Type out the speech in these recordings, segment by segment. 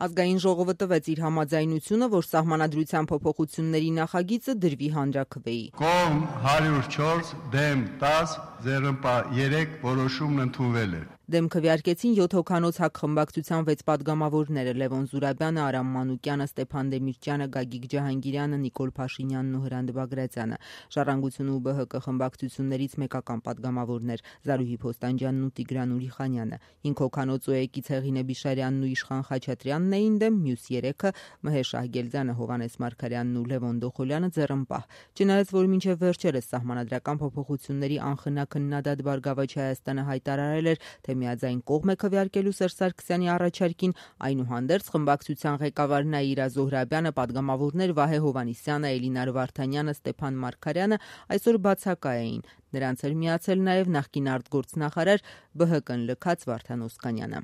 Ազգային ժողովը տվեց իր համաձայնությունը, որ սահմանադրության փոփոխությունների նախագիծը դրվի հանրաքվեի։ Կողմ 104, դեմ 10, ձեռնպա 3 որոշումն ընդունվել է։ Դեմ քվեարկեցին 7 հոգանոց ՀԱԿ խմբակցության 6 պատգամավորները՝ Լևոն Զուրաբյանը, Արամ Մանուկյանը, Ստեփան Դեմիրճյանը, Գագիկ Ջահանգիրյանը, Նիկոլ Փաշինյանն ու Հրանտ Բագրատյանը։ Ժառանգություն ու ԲՀԿ խմբակցություններից մեկական պատգամավորներ՝ Զարուհի Փոստանջյանն ու Տիգրան Ուրիխանյանը։ 5 հոգանոց ՕԵԿ-ից Հեղինե Բիշարյանն ու Իշխան Խաչատրյանն էին դեմ, մյուս 3-ը՝ Մհեր Շահգելդյանը, Հովհաննես Մարգարյանն ու Լևոն Դոխոլյանը ձեռնպահ։ Չնայած որ մինչև վերջերս սահմանադրական փոփոխությունների անխնա քննադատ Բարգավաճ Հայաստանը հայտարարել էր, թե միաձայն կողմ է քվեարկելու Սերժ Սարգսյանի առաջարկին, այնուհանդերձ խմբակցության ղեկավար Նաիրա Զոհրաբյանը, պատգամավորներ Վահե Հովհաննիսյանը, Էլինար Վարդանյանը, Ստեփան Մարգարյանը այսօր բացակա էին։ Նրանց էր միացել նաև նախկին արտգործնախարար ԲՀԿ-ն լքած Վարդան Օսկանյանը։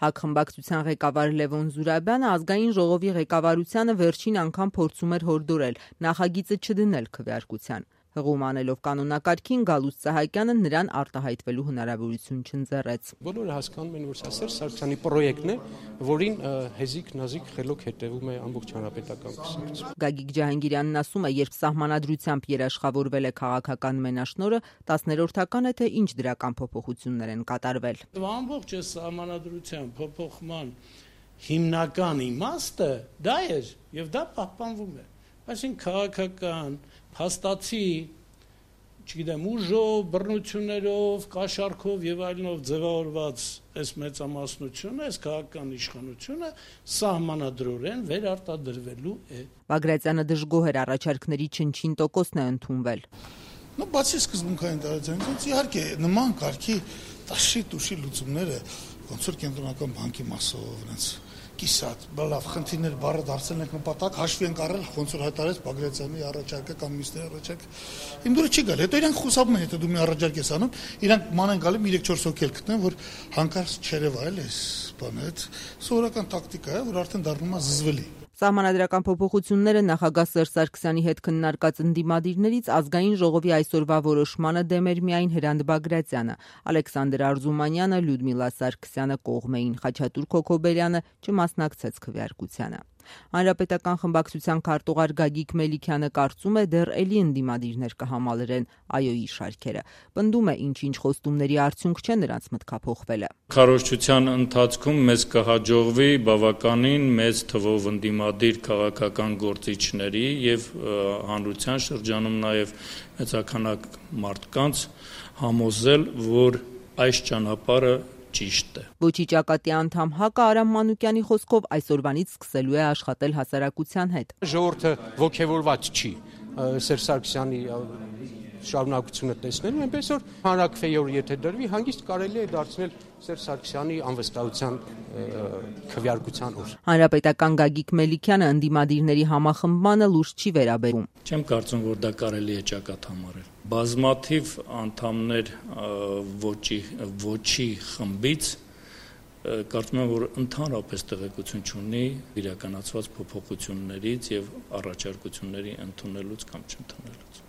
ՀԱԿ խմբակցության ղեկավար Լևոն Զուրաբյանը ազգային ժողովի ղեկավարությանը վերջին անգամ փորձում էր հորդորել նախագիծը չդնել քվեարկության։ Հղում անելով կանոնակարգին Գալուստ Սահակյանը նրան արտահայտվելու հնարավորություն չընձեռեց։ Բոլորը հասկանում են, որ սա Սերժ Սարգսյանի պրոյեկտն է, որին հեզիկ-նազիկ խելոք հետևում է ամբողջ հանրապետական կուսակցությունը։ Գագիկ Ջահանգիրյանն ասում է, երբ սահմանադրությամբ երաշխավորվել է քաղաքական մենաշնորհը, 10-րդական է, թե ինչ դրական փոփոխություններ են կատարվել։ Ամբողջ այս սահմանադրության փոփոխման հիմնական իմաստը դա էր, եւ դա պահպանվում է։ Այսինքն քաղաքական փաստացի, չգիտեմ, ուժով, բռնություններով, կաշառքով եւ այլնով ձևավորված այս մեծամասնությունը, այս քաղաքական իշխանությունը սահմանադրորեն վերարտադրվելու է։ Բագրատյանը դժգոհ էր առաջարկների չնչին տոկոսն է ընդունվել։ Բացի սկզբունքային տարածությունից, իհարկե նման կարգի տաշի լուծումները ոնց որ կենտրոնական բանկի մասով նրանց կիսատ, լավ, խնդիրներ բառը դարձել ենք նպատակ, հաշվի ենք առել, ոնց որ հայտարարեց Բագրատյանի առաջարկը կամ մյուսների առաջարկը։ Իմ դուրս չի գալ։ Հետո իրանք խուսափում են, հետո դու մի առաջարկ ես անում, իրանք ման են գալի 3-4 հոգի էլ գտնեն, որ հանկարծ չերևայել էս բանը, այդ սովորական տակտիկա է, որ արդեն դառնում է զզվելի։ Սահմանադրական փոփոխությունները նախագահ Սերժ Սարգսյանի հետ քննարկած ընդդիմադիրներից ազգային ժողովի այսօրվա որոշմանը դեմ էր միայն Հրանտ Բագրատյանը, Ալեքսանդր Արզումանյանը, Լյուդմիլա Սարգսյանը կողմ էին, Խաչատուր Քոքոբերյանը չմասնակցեց քվեարկությանը։ Հանրապետական խմբակցության քարտուղար Գագիկ Մելիքյանը կարծում է, դեռ էլի ընդդիմադիրներ կհամալրեն ԱՅՈ-ի շարքերը։ Պնդում է, ինչ-ինչ խոստումների արդյունք չէ նրանց մտքափոխվելը։ Քարոզչության ընթացքում մեզ կհաջողվի բավականին մեծ թվով ընդդիմադիր քաղաքական գործիչների եւ հանրության շրջանում նաեւ մեծաքանակ մարդկանց համոզել, որ այս ճանապարհը ճիշտ է։ Ոչի ճակատի անդամ ՀԱԿ-ը Արամ Մանուկյանի խոսքով այսօրվանից սկսելու է աշխատել հասարակության հետ։ Ժողովուրդը ողջևորված չի Սերժ Սարգսյանի շարունակությունը տեսնելու, այնպես որ հանրաքվեի եթե դրվի, հանգիստ կարելի է դարձնել Սերժ Սարգսյանի անվստահության քվեարկության օր։ Հանրապետական Գագիկ Մելիքյանը ընդդիմադիրների համախմբմանը լուրջ չի վերաբերում։ Չեմ կարծում, որ դա կարելի է ճակատ համարել։ Բազմաթիվ անդամներ ոչի խմբից կարծում եմ, որ ընդհանրապես տեղեկություն չունի իրականացված փոփոխություններից եւ առաջարկությունների ընդունելուց կամ չընդունելուց։